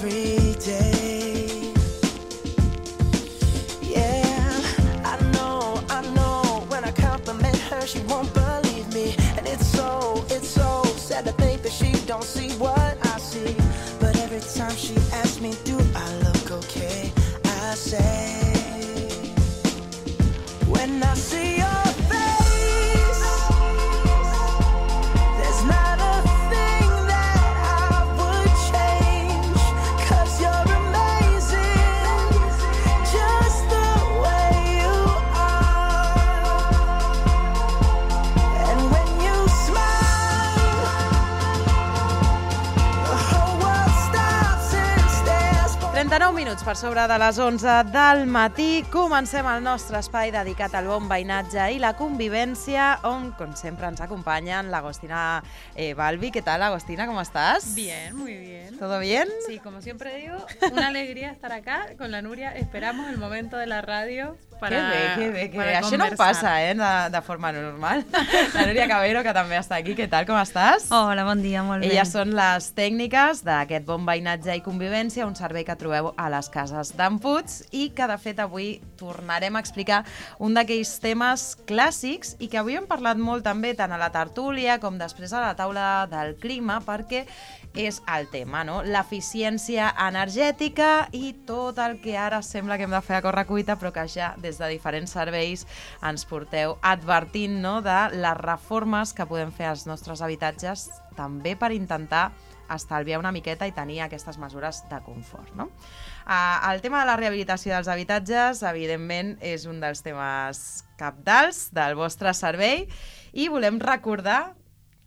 every day. Yeah, I know, when I compliment her, she won't believe me. And it's so sad to think that she don't see what I see. But every time she asks me, do I look okay? I say, when I see your face, there's not a thing that I would change, 'cause you're amazing, just the way you are. And when you smile, the whole world stops and stares. 39 minuts per sobre de les 11 del matí. Comencem el nostre espai dedicat al bon veïnatge i la convivència, on, com sempre, ens acompanyen l'Agostina Balbi. ¿Qué tal, Agostina? ¿Cómo estás? Bien, muy bien. ¿Todo bien? Sí, como siempre digo, una alegría estar acá con la Núria. Esperamos el momento de la radio para Que bé. para Això no em passa, de forma normal. La Núria Cabero, que també està aquí. Què tal, com estàs? Hola, bon dia, molt bé. Elles són les tècniques d'aquest bon veïnatge i convivència, un servei que trobeu a les cases d'en Puig i que, de fet, avui tornarem a explicar un d'aquells temes clàssics i que avui hem parlat molt també tant a la tertúlia com després a la taula del clima, perquè és el tema, no? L'eficiència energètica i tot el que ara sembla que hem de fer a correcuita, però que ja des de diferents serveis ens porteu advertint, no?, de les reformes que podem fer als nostres habitatges, també per intentar estalviar una miqueta i tenir aquestes mesures de confort, no? El tema de la rehabilitació dels habitatges, evidentment, és un dels temes cabdals del vostre servei i volem recordar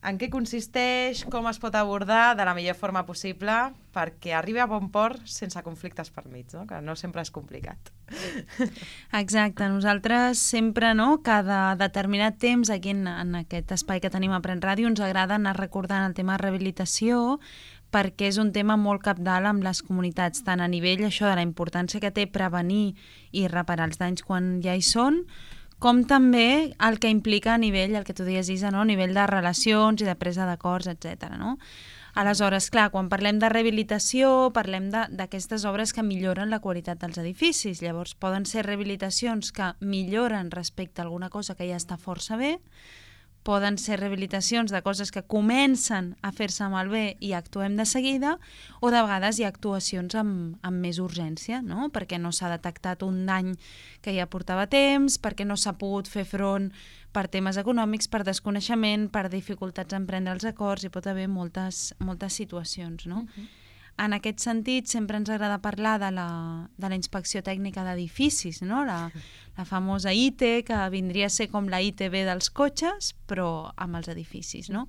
en què consisteix, com es pot abordar de la millor forma possible perquè arribi a bon port sense conflictes per mig, no? Que no sempre és complicat. Exacte, nosaltres sempre, no, cada determinat temps aquí en aquest espai que tenim a Pren Ràdio ens agrada anar recordant el tema de rehabilitació perquè és un tema molt cabdal amb les comunitats, tant a nivell això de la importància que té prevenir i reparar els danys quan ja hi són, com també el que implica a nivell, el que tu deies, Isa, no? A nivell de relacions i de presa d'acords, etc. No? Aleshores, clar, quan parlem de rehabilitació, parlem d'aquestes obres que milloren la qualitat dels edificis. Llavors, poden ser rehabilitacions que milloren respecte a alguna cosa que ja està força bé, poden ser rehabilitacions de coses que comencen a fer-se malbé i actuem de seguida, o de vegades hi ha actuacions amb més urgència, no? Perquè no s'ha detectat un dany que ja portava temps, perquè no s'ha pogut fer front per temes econòmics, per desconeixement, per dificultats en prendre els acords, hi pot haver moltes situacions, no? En aquest sentit, sempre ens agrada parlar de la inspecció tècnica d'edificis, no? La famosa ITE, que vindria a ser com la ITB dels cotxes, però amb els edificis, no?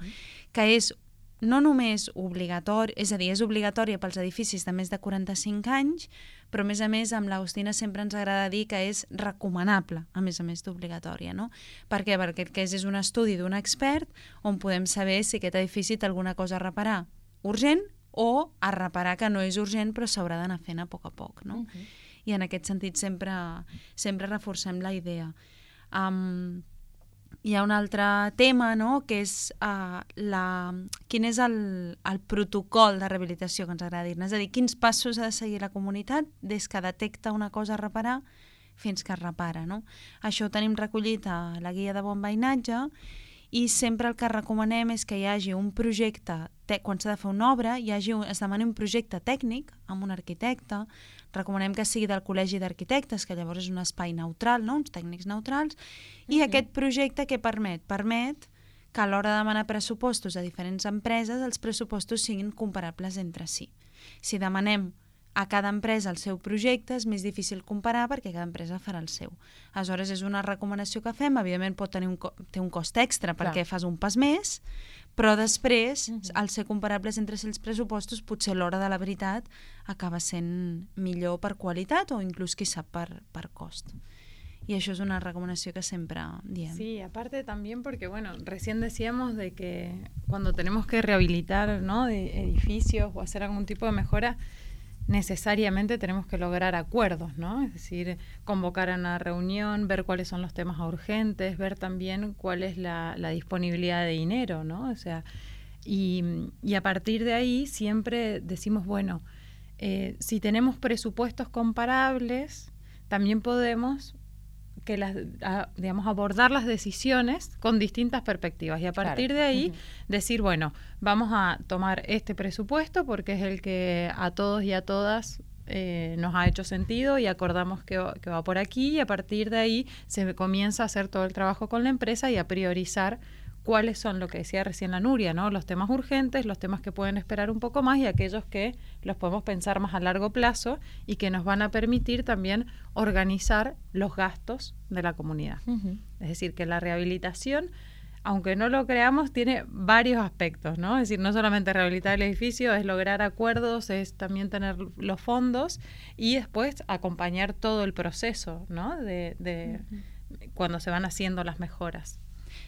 Que és no només obligatori, és a dir, és obligatòria pels edificis de més de 45 anys, però a més amb l'Agostina sempre ens agrada dir que és recomanable, a més d'obligatòria, no? Per què? Perquè és un estudi d'un expert on podem saber si aquest edifici té alguna cosa a reparar urgent o a reparar que no és urgent però s'haurà d'anar fent a poc, no? I en aquest sentit sempre reforcem la idea. Hi ha un altre tema, no?, que és quin és el protocol de rehabilitació que ens agrada dir-ne, és a dir, quins passos ha de seguir la comunitat des que detecta una cosa a reparar fins que es repara, no? Això ho tenim recollit a la guia de bon veïnatge i sempre el que recomanem és que hi hagi un projecte, quan s'ha de fer una obra, es demani un projecte tècnic amb un arquitecte, recomanem que sigui del Col·legi d'Arquitectes, que llavors és un espai neutral, no?, uns tècnics neutrals, i aquest projecte què permet? Permet que a l'hora de demanar pressupostos a diferents empreses els pressupostos siguin comparables entre si. Si demanem a cada empresa el seu projecte és més difícil comparar perquè cada empresa farà el seu. Aleshores, és una recomanació que fem, evidentment té un cost extra perquè fas un pas més, però després, al ser comparables entre si els pressupostos, potser l'hora de la veritat acaba sent millor per qualitat o inclús, qui sap, per cost. Y eso es una recomendación que siempre diem. Sí, aparte también porque, bueno, recién decíamos de que cuando tenemos que rehabilitar, ¿no?, de edificios o hacer algún tipo de mejora, necesariamente tenemos que lograr acuerdos, ¿no? Es decir, convocar a una reunión, ver cuáles son los temas urgentes, ver también cuál es la disponibilidad de dinero, ¿no? O sea, y a partir de ahí siempre decimos, bueno, si tenemos presupuestos comparables, también podemos abordar las decisiones con distintas perspectivas y a partir de ahí decir, bueno, vamos a tomar este presupuesto porque es el que a todos y a todas nos ha hecho sentido y acordamos que va por aquí y a partir de ahí se comienza a hacer todo el trabajo con la empresa y a priorizar cuáles son, lo que decía recién la Nuria, ¿no? Los temas urgentes, los temas que pueden esperar un poco más y aquellos que los podemos pensar más a largo plazo y que nos van a permitir también organizar los gastos de la comunidad. Es decir, que la rehabilitación, aunque no lo creamos, tiene varios aspectos, ¿no? Es decir, no solamente rehabilitar el edificio, es lograr acuerdos, es también tener los fondos y después acompañar todo el proceso, ¿no? de cuando se van haciendo las mejoras.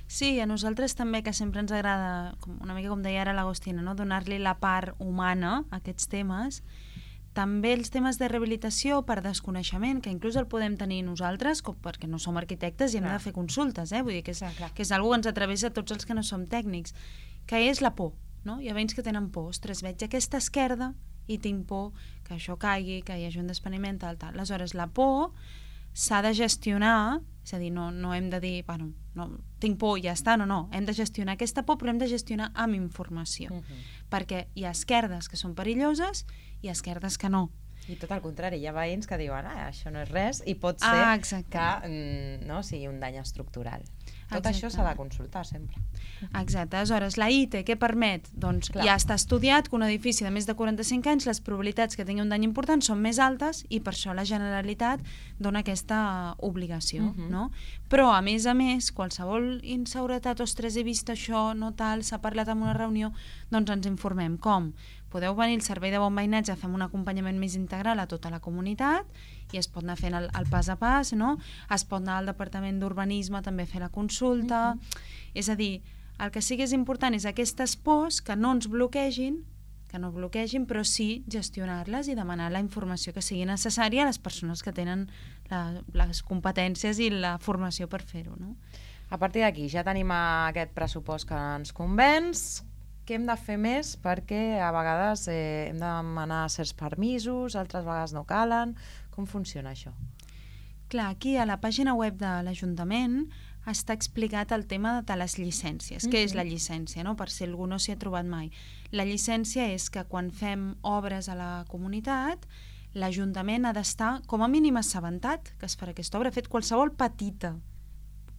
Sí, a nosaltres també, que sempre ens agrada, una mica com deia ara l'Agostina, no? Donar-li la part humana a aquests temes. També els temes de rehabilitació per desconeixement, que inclús el podem tenir nosaltres, perquè no som arquitectes i hem de fer consultes, vull dir que és una cosa que ens atravessa tots els que no som tècnics, que és la por, no? Hi ha veïns que tenen por, ostres, veig aquesta esquerda i tinc por que això caigui, que hi hagi un despreniment, tal. Aleshores, la por s'ha de gestionar, és a dir, no hem de dir, bueno, no, tinc por i ja està, no, hem de gestionar aquesta por, però hem de gestionar amb informació, perquè hi ha esquerdes que són perilloses i esquerdes que no. I tot el contrari, hi ha veïns que diuen això no és res i pot ser que no sigui un dany estructural. Tot això s'ha de consultar sempre. Exacte. Aleshores, la ITE què permet? Doncs ja està estudiat que un edifici de més de 45 anys les probabilitats que tingui un dany important són més altes i per això la Generalitat dona aquesta obligació, no? Però, a més, qualsevol inseguretat, ostres, he vist això, no tal, s'ha parlat en una reunió, doncs ens informem. Com? Podeu venir al servei de bon veïnatge, fem un acompanyament més integral a tota la comunitat i es pot anar fent el pas a pas, no? Es pot anar al Departament d'Urbanisme també a fer la consulta. És a dir, el que sí que és important és aquestes pors que no ens bloquegin, però sí gestionar-les i demanar la informació que sigui necessària a les persones que tenen les competències i la formació per fer-ho, no? A partir d'aquí ja tenim aquest pressupost que ens convenç. Què hem de fer més? Perquè a vegades hem de demanar certs permisos, altres vegades no calen. Com funciona això? Clar, aquí a la pàgina web de l'Ajuntament està explicat el tema de les llicències. Què és la llicència, no? Per si algú no s'hi ha trobat mai. La llicència és que quan fem obres a la comunitat, l'Ajuntament ha d'estar com a mínim assabentat que es farà aquesta obra. Fet qualsevol petita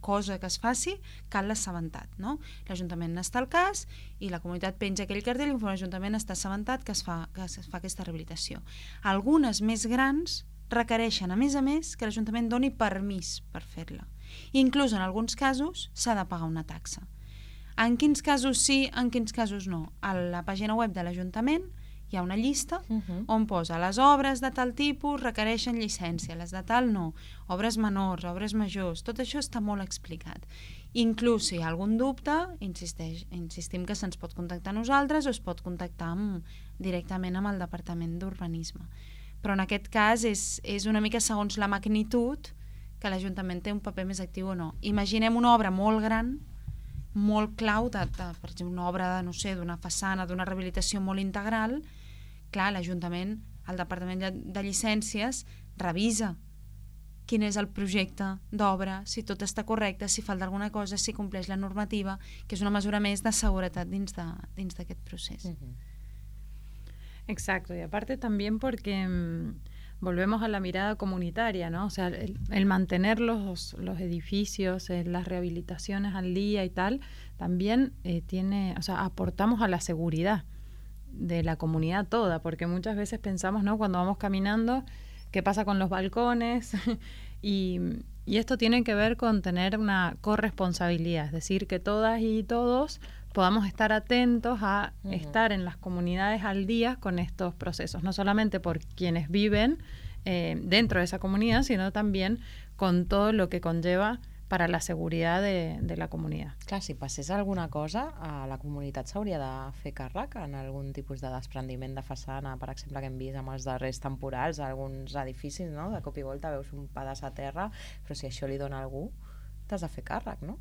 cosa que es faci, cal l'assabentat, no? L'Ajuntament n'està al cas i la comunitat penja aquell cartell i l'Ajuntament està assabentat que es fa aquesta rehabilitació. Algunes més grans requereixen, a més, que l'Ajuntament doni permís per fer-la. Inclús en alguns casos s'ha de pagar una taxa. En quins casos sí, en quins casos no? A la pàgina web de l'Ajuntament hi ha una llista on posa les obres de tal tipus requereixen llicència, les de tal no, obres menors, obres majors, tot això està molt explicat. Inclús si hi ha algun dubte, insistim que se'ns pot contactar a nosaltres o es pot contactar directament amb el Departament d'Urbanisme. Però en aquest cas és una mica segons la magnitud que l'Ajuntament té un paper més actiu o no. Imaginem una obra molt gran, molt clau, per exemple, una obra d'una façana, d'una rehabilitació molt integral. Clar, l'Ajuntament, el Departament de Llicències, revisa quin és el projecte d'obra, si tot està correcte, si falta alguna cosa, si compleix la normativa, que és una mesura més de seguretat dins d'aquest procés. Exacto, y aparte también porque volvemos a la mirada comunitaria, ¿no? O sea, el mantener los edificios, las rehabilitaciones al día y tal, también aportamos a la seguridad de la comunidad toda, porque muchas veces pensamos, ¿no? Cuando vamos caminando, ¿qué pasa con los balcones? y esto tiene que ver con tener una corresponsabilidad, es decir, que todas y todos podamos estar atentos a estar en las comunidades al día con estos procesos, no solamente por quienes viven dentro de esa comunidad, sino también con todo lo que conlleva para la seguridad de la comunitat. Clar, si passés alguna cosa, la comunitat s'hauria de fer càrrec en algun tipus de desprendiment de façana, per exemple, que hem vist amb els darrers temporals a alguns edificis, no? De cop i volta veus un pedaç a terra, però si això li dona a algú, t'has de fer càrrec, no?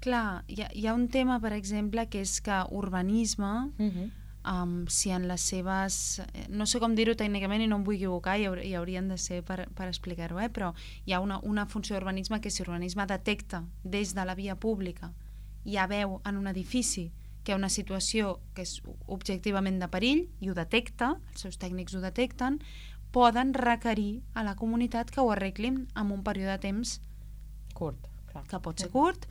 Clar, hi ha un tema, per exemple, que és que urbanisme si en les seves... No sé com dir-ho tècnicament i no em vull equivocar, i haurien de ser per explicar-ho, però hi ha una funció d'urbanisme que si l'urbanisme detecta des de la via pública i ja veu en un edifici que hi ha una situació que és objectivament de perill i ho detecta, els seus tècnics ho detecten, poden requerir a la comunitat que ho arreglin en un període de temps curt, clar. Que pot ser curt,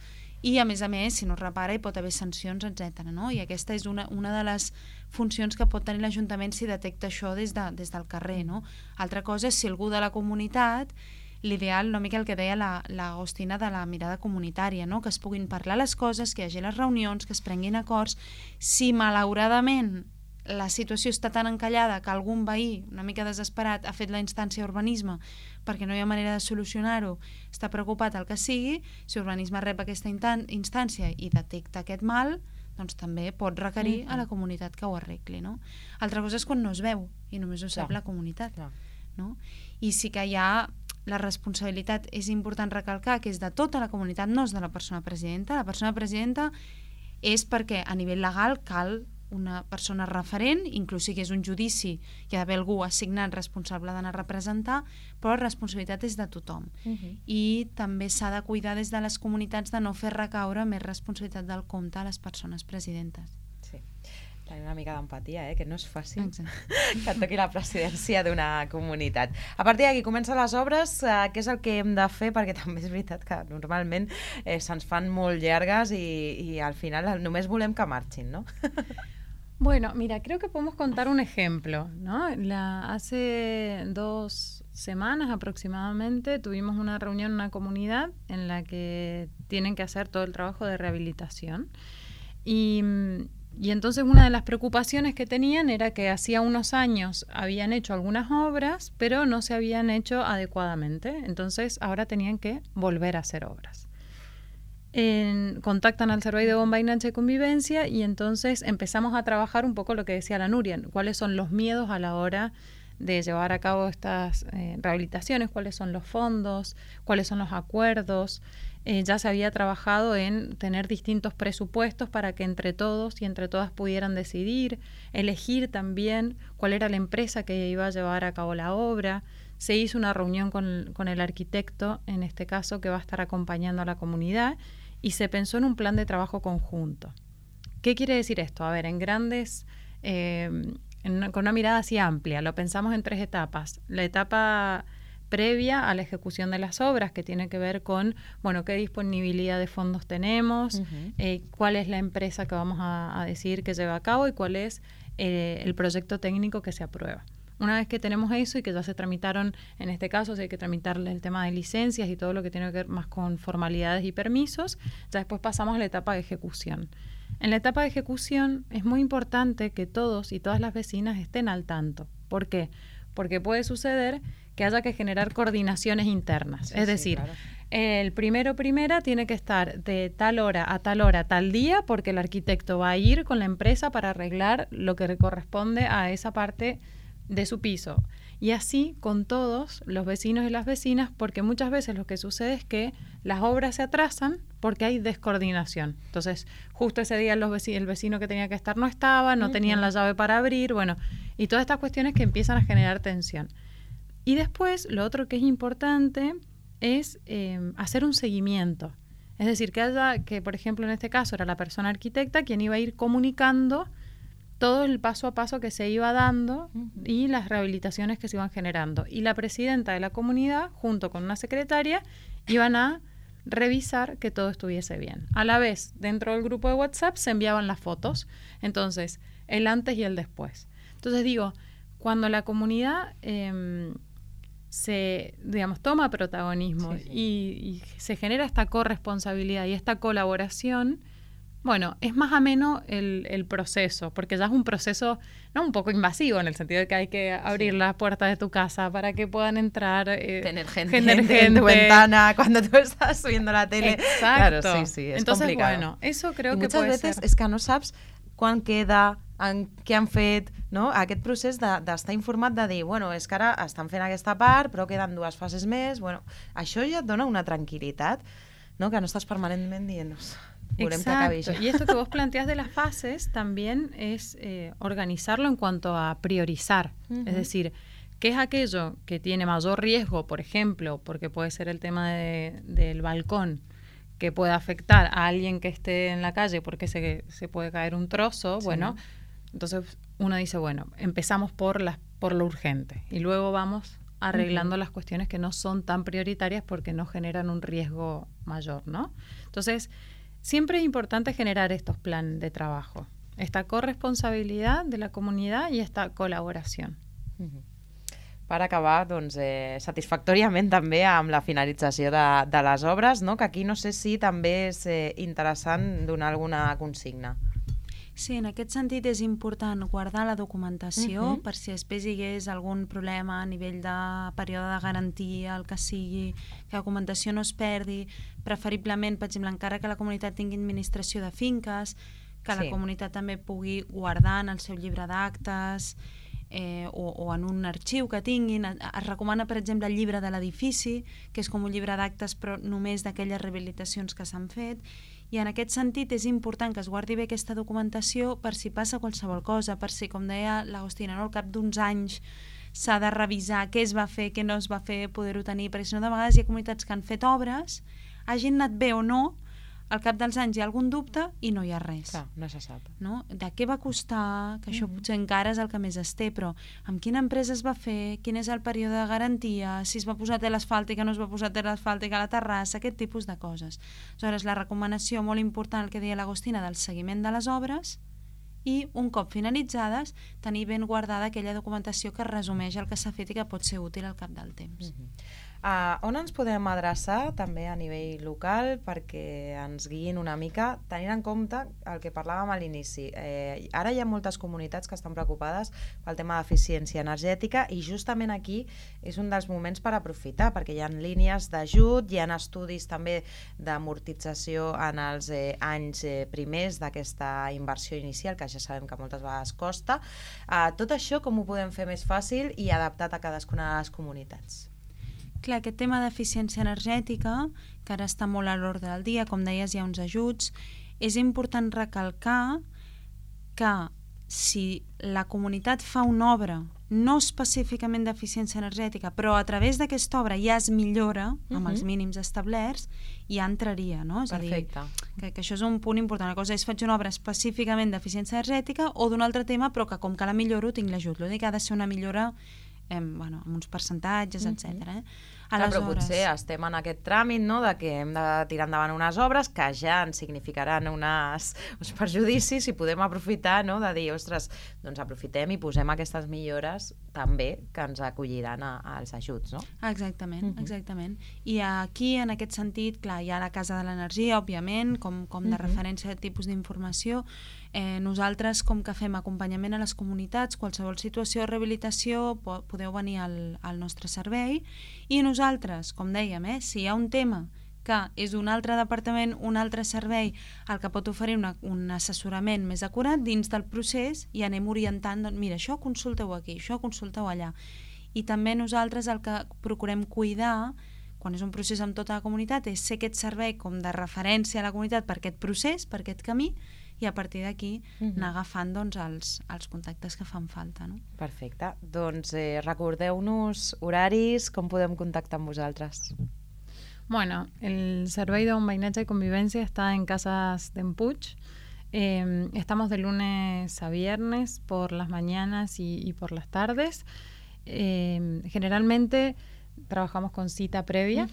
i a més, si no es repara hi pot haver sancions, etc. No? I aquesta és una de les funcions que pot tenir l'Ajuntament si detecta això des del carrer. No? Altra cosa és si algú de la comunitat, l'ideal, una mica el que deia l'Agostina de la mirada comunitària, no? Que es puguin parlar les coses, que hi hagi les reunions, que es prenguin acords. Si malauradament la situació està tan encallada que algun veí, una mica desesperat, ha fet la instància d'urbanisme perquè no hi ha manera de solucionar-ho, està preocupat el que sigui, si urbanisme rep aquesta instància i detecta aquest mal, doncs també pot requerir a la comunitat que ho arregli. No? Altra cosa és quan no es veu i només ho sap la comunitat. No? I sí que hi ha la responsabilitat, és important recalcar que és de tota la comunitat, no és de la persona presidenta. La persona presidenta és perquè a nivell legal cal una persona referent, inclús si és un judici hi ha d'haver algú assignat responsable d'anar a representar, però la responsabilitat és de tothom. I també s'ha de cuidar des de les comunitats de no fer recaure més responsabilitat del compte a les persones presidentes. Sí, tenir una mica d'empatia, que no és fàcil que et toqui la presidència d'una comunitat. A partir d'aquí comencen les obres, què és el que hem de fer? Perquè també és veritat que normalment se'ns fan molt llargues i al final només volem que marxin, no? Bueno, mira, creo que podemos contar un ejemplo, ¿no? Hace 2 semanas aproximadamente tuvimos una reunión en una comunidad en la que tienen que hacer todo el trabajo de rehabilitación y entonces una de las preocupaciones que tenían era que hacía unos años habían hecho algunas obras, pero no se habían hecho adecuadamente, entonces ahora tenían que volver a hacer obras. Contactan al Servei de Bombainatge y Convivencia y entonces empezamos a trabajar un poco lo que decía la Núria, cuáles son los miedos a la hora de llevar a cabo estas rehabilitaciones, cuáles son los fondos, cuáles son los acuerdos. Ya se había trabajado en tener distintos presupuestos para que entre todos y entre todas pudieran decidir, elegir también cuál era la empresa que iba a llevar a cabo la obra. Se hizo una reunión con el arquitecto, en este caso, que va a estar acompañando a la comunidad, y se pensó en un plan de trabajo conjunto. ¿Qué quiere decir esto? A ver, en grandes, con una mirada así amplia, lo pensamos en 3 etapas. La etapa previa a la ejecución de las obras, que tiene que ver con, bueno, qué disponibilidad de fondos tenemos, cuál es la empresa que vamos a decidir que lleva a cabo y cuál es el proyecto técnico que se aprueba. Una vez que tenemos eso y que ya se tramitaron, en este caso, si hay que tramitarle el tema de licencias y todo lo que tiene que ver más con formalidades y permisos, ya después pasamos a la etapa de ejecución. En la etapa de ejecución es muy importante que todos y todas las vecinas estén al tanto. ¿Por qué? Porque puede suceder que haya que generar coordinaciones internas. Es decir, claro, el primera tiene que estar de tal hora, tal día, porque el arquitecto va a ir con la empresa para arreglar lo que le corresponde a esa parte de su piso. Y así con todos los vecinos y las vecinas, porque muchas veces lo que sucede es que las obras se atrasan porque hay descoordinación. Entonces, justo ese día el vecino que tenía que estar no estaba, no tenían la llave para abrir, bueno, y todas estas cuestiones que empiezan a generar tensión. Y después, lo otro que es importante es hacer un seguimiento. Es decir, que por ejemplo, en este caso era la persona arquitecta quien iba a ir comunicando todo el paso a paso que se iba dando y las rehabilitaciones que se iban generando. Y la presidenta de la comunidad, junto con una secretaria, iban a revisar que todo estuviese bien. A la vez, dentro del grupo de WhatsApp se enviaban las fotos, entonces, el antes y el después. Entonces digo, cuando la comunidad toma protagonismo y se genera esta corresponsabilidad y esta colaboración, bueno, es más ameno el proceso, porque ya es un proceso no un poco invasivo, en el sentido de que hay que abrir las puertas de tu casa para que puedan entrar, tener gente en tu ventana cuando tú estás subiendo la tele. Exacto. Claro, sí, es Entonces, complicado. bueno, eso creo I que muchas puede veces ser. és que no saps quan queda, què han fet, no? Aquest procés d'estar informat, de dir, bueno, és que ara estan fent aquesta part, però queden 2 fases més, bueno, això ja et dona una tranquil·litat, no? Que no estàs permanentment dient, Volem que acabi Exacto. ja. Y esto que vos planteás de las fases también es organizarlo en cuanto a priorizar. Es decir, ¿qué es aquello que tiene mayor riesgo, por ejemplo, porque puede ser el tema del balcón, que puede afectar a alguien que esté en la calle porque se puede caer un trozo? Sí. Bueno, entonces uno dice, bueno, empezamos por lo urgente y luego vamos arreglando las cuestiones que no son tan prioritarias porque no generan un riesgo mayor, ¿no? Entonces, siempre es importante generar estos planes de trabajo, esta corresponsabilidad de la comunidad y esta colaboración. Per acabar, doncs, satisfactòriament també amb la finalització de les obres, no? Que aquí no sé si també és interessant donar alguna consigna. Sí, en aquest sentit és important guardar la documentació per si després hi hagués algun problema a nivell de període de garantia, el que sigui, que la documentació no es perdi, preferiblement, per exemple, encara que la comunitat tingui administració de finques, que la comunitat també pugui guardar en el seu llibre d'actes o en un arxiu que tinguin. Es recomana, per exemple, el llibre de l'edifici, que és com un llibre d'actes però només d'aquelles rehabilitacions que s'han fet. I en aquest sentit és important que es guardi bé aquesta documentació per si passa qualsevol cosa, per si, com deia l'Agostina, no? Al cap d'uns anys s'ha de revisar què es va fer, què no es va fer, poder-ho tenir, perquè si no de vegades hi ha comunitats que han fet obres, hagin anat bé o no, al cap dels anys hi ha algun dubte i no hi ha res. Clar, no se sap. No? De què va costar, que això potser encara és el que més es té, però amb quina empresa es va fer, quin és el període de garantia, si es va posar tela asfàltica, no es va posar tela asfàltica a la terrassa, aquest tipus de coses. Aleshores, la recomanació molt important, el que deia l'Agostina, del seguiment de les obres i, un cop finalitzades, tenir ben guardada aquella documentació que resumeix el que s'ha fet i que pot ser útil al cap del temps. On ens podem adreçar també a nivell local perquè ens guiïn una mica, tenint en compte el que parlàvem a l'inici. Ara hi ha moltes comunitats que estan preocupades pel tema d'eficiència energètica i justament aquí és un dels moments per aprofitar, perquè hi ha línies d'ajut, hi ha estudis també d'amortització en els anys primers d'aquesta inversió inicial, que ja sabem que moltes vegades costa. Tot això com ho podem fer més fàcil i adaptat a cadascuna de les comunitats? Clar, aquest tema d'eficiència energètica, que ara està molt a l'ordre del dia, com deies, hi ha uns ajuts, és important recalcar que si la comunitat fa una obra no específicament d'eficiència energètica, però a través d'aquesta obra ja es millora amb els mínims establerts, ja entraria, no? És Perfecte. a dir, que això és un punt important. Una cosa és faig una obra específicament d'eficiència energètica o d'un altre tema, però que com que la milloro tinc l'ajut. L'únic que ha de ser una millora amb uns percentatges, etc. Clar, però potser estem en aquest tràmit, no?, de que hem de tirar endavant unes obres que ja ens significaran uns perjudicis i podem aprofitar, no?, de dir, ostres, doncs aprofitem i posem aquestes millores també que ens acolliran als ajuts, no? Exactament, exactament. I aquí, en aquest sentit, clar, hi ha la Casa de l'Energia, òbviament, com de referència a tipus d'informació. Nosaltres, com que fem acompanyament a les comunitats, qualsevol situació de rehabilitació, podeu venir al nostre servei, i nosaltres, com dèiem, si hi ha un tema que és d'un altre departament, un altre servei, el que pot oferir un assessorament més acurat dins del procés, i anem orientant, doncs, mira, això consulteu aquí, això consulteu allà. I també nosaltres el que procurem cuidar, quan és un procés amb tota la comunitat, és ser aquest servei com de referència a la comunitat per aquest procés, per aquest camí, i a partir d'aquí anar agafant els contactes que fan falta. No? Perfecte. Doncs recordeu-nos horaris, com podem contactar amb vosaltres? Bueno, el Servei de Veïnatge y Convivencia está en Casas de Empuig. Estamos de lunes a viernes por las mañanas y por las tardes. Generalmente trabajamos con cita previa,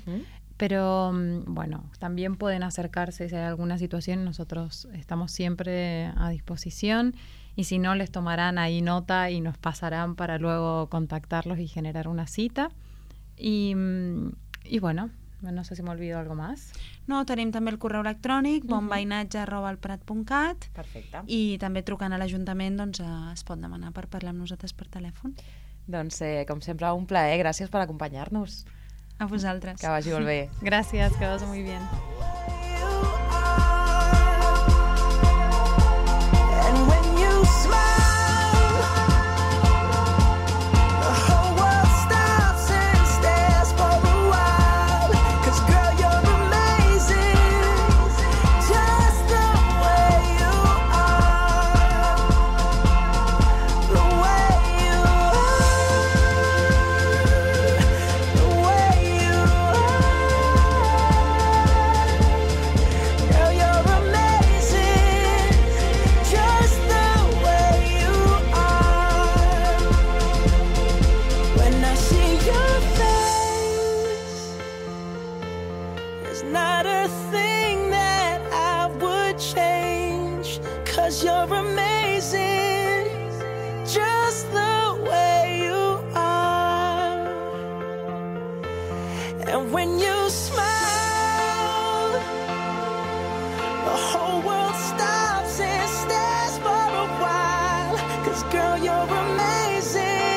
pero bueno, también pueden acercarse si hay alguna situación. Nosotros estamos siempre a disposición y si no, les tomarán ahí nota y nos pasarán para luego contactarlos y generar una cita. Y bueno, no sé si m'olvido algo más. No, tenim també el correu electrònic bonveïnatge@alprat.cat. Perfecte. I també trucant a l'Ajuntament es pot demanar per parlar amb nosaltres per telèfon. Doncs, com sempre, un plaer. Gràcies per acompanyar-nos. A vosaltres. Que vagi molt bé. Gracias, que vaya muy bien. And when you smile, girl, you're amazing, just And when you smile, the whole world stops and stares for a while. 'Cause girl, you're amazing.